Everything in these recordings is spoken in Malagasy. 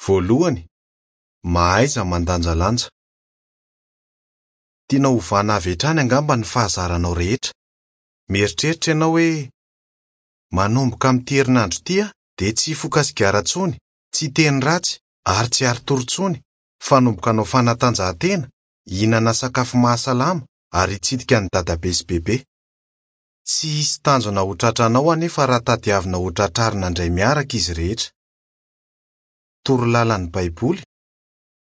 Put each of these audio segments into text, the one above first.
Voalohany, mahaiza mandanjalanja. Tianao hovana avy hatrany angamba ny fahazaranao rehetra. Mieritreritra ianao hoe, 'Manomboka amin'ity herinandro ity aho dia tsy hifoka sigara intsony, tsy hiteny ratsy, ary tsy hiari-tory intsony, fa hanomboka hanao fanatanjahantena, hihinana sakafo mahasalama, ary hitsidika an'i Dadabe sy Bebe. Tsy hisy tanjona ho tratranao anefa raha tadiavina hotratrarina indray miaraka izy rehetra. Torolalan'ny Baiboly,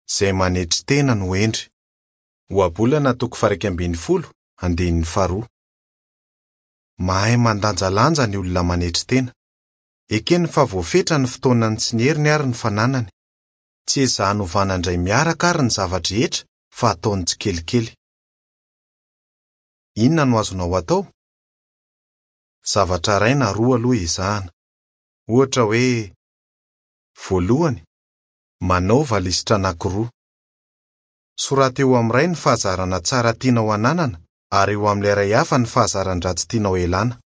Izay manetry tena no hendry. Ohabolana toko faha-11, andininy faharoa. Mahay mandanjalanja ny olona manetry tena. Ekeny fa voafetra ny fotoanany sy ny heriny ary ny fananany. Tsy ezahany hovana indray miaraka àry ny zava-drehetra fa ataony tsikelikely. Inona no azonao atao? Zavatra iray na roa aloha ezahana. Ohatra hoe, Voalohany, manaova lisitra anankiroa. Soraty eo amin'ny iray ny fahazarana tsara tianao hananana ary eo amin'ilay iray hafa ny fahazaran-dratsy tianao hialana.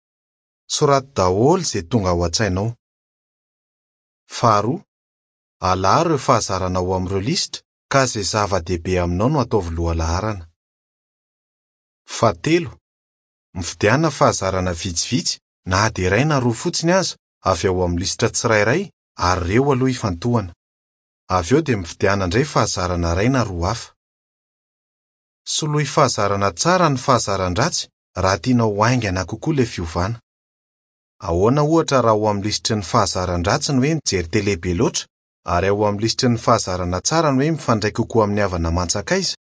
Soraty daholo izay tonga ao an-tsainao. Faharoa, alaharo ireo fahazarana ao amin'ireo lisitra ka izay zava-dehibe aminao no ataovy lohalaharana. Fahatelo, mifidiana fahazarana vitsivitsy na dia iray na roa fotsiny aza avy ao amin'ny lisitra tsirairay ary ireo aloha ifantohana. Avy eo dia mifidiana indray fahazarana iray na roa hafa. Soloy fahazarana tsara ny fahazaran-dratsy raha tianao ho haingana kokoa ilay fiovana. Ahoana ohatra raha ao amin'ny lisitry ny fahazaran-dratsy ny hoe mijery tele be loatra ary ao amin'ny lisitry ny fahazarana tsara ny hoe mifandray kokoa amin'ny havana aman-tsakaiza?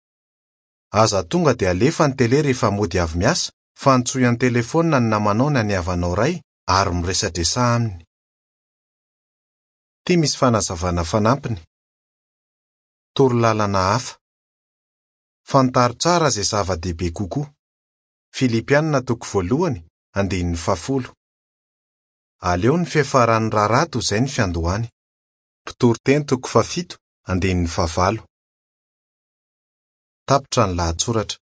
Aza tonga dia alefa ny tele rehefa mody avy miasa fa antsoy an-telefaonina ny namanao na ny havanao iray ary miresadresaha aminy. Ity misy fanazavana fanampiny. Torolalana hafa. Fantaro tsara izay zava-dehibe kokoa. Filipiana toko voalohany, andininy fahafolo. Aleo ny fiafaran'ny raharaha toy izay ny fiandohany. Mpitoriteny toko fahafito, andininy fahavalo. Tapitra ny lahatsoratra.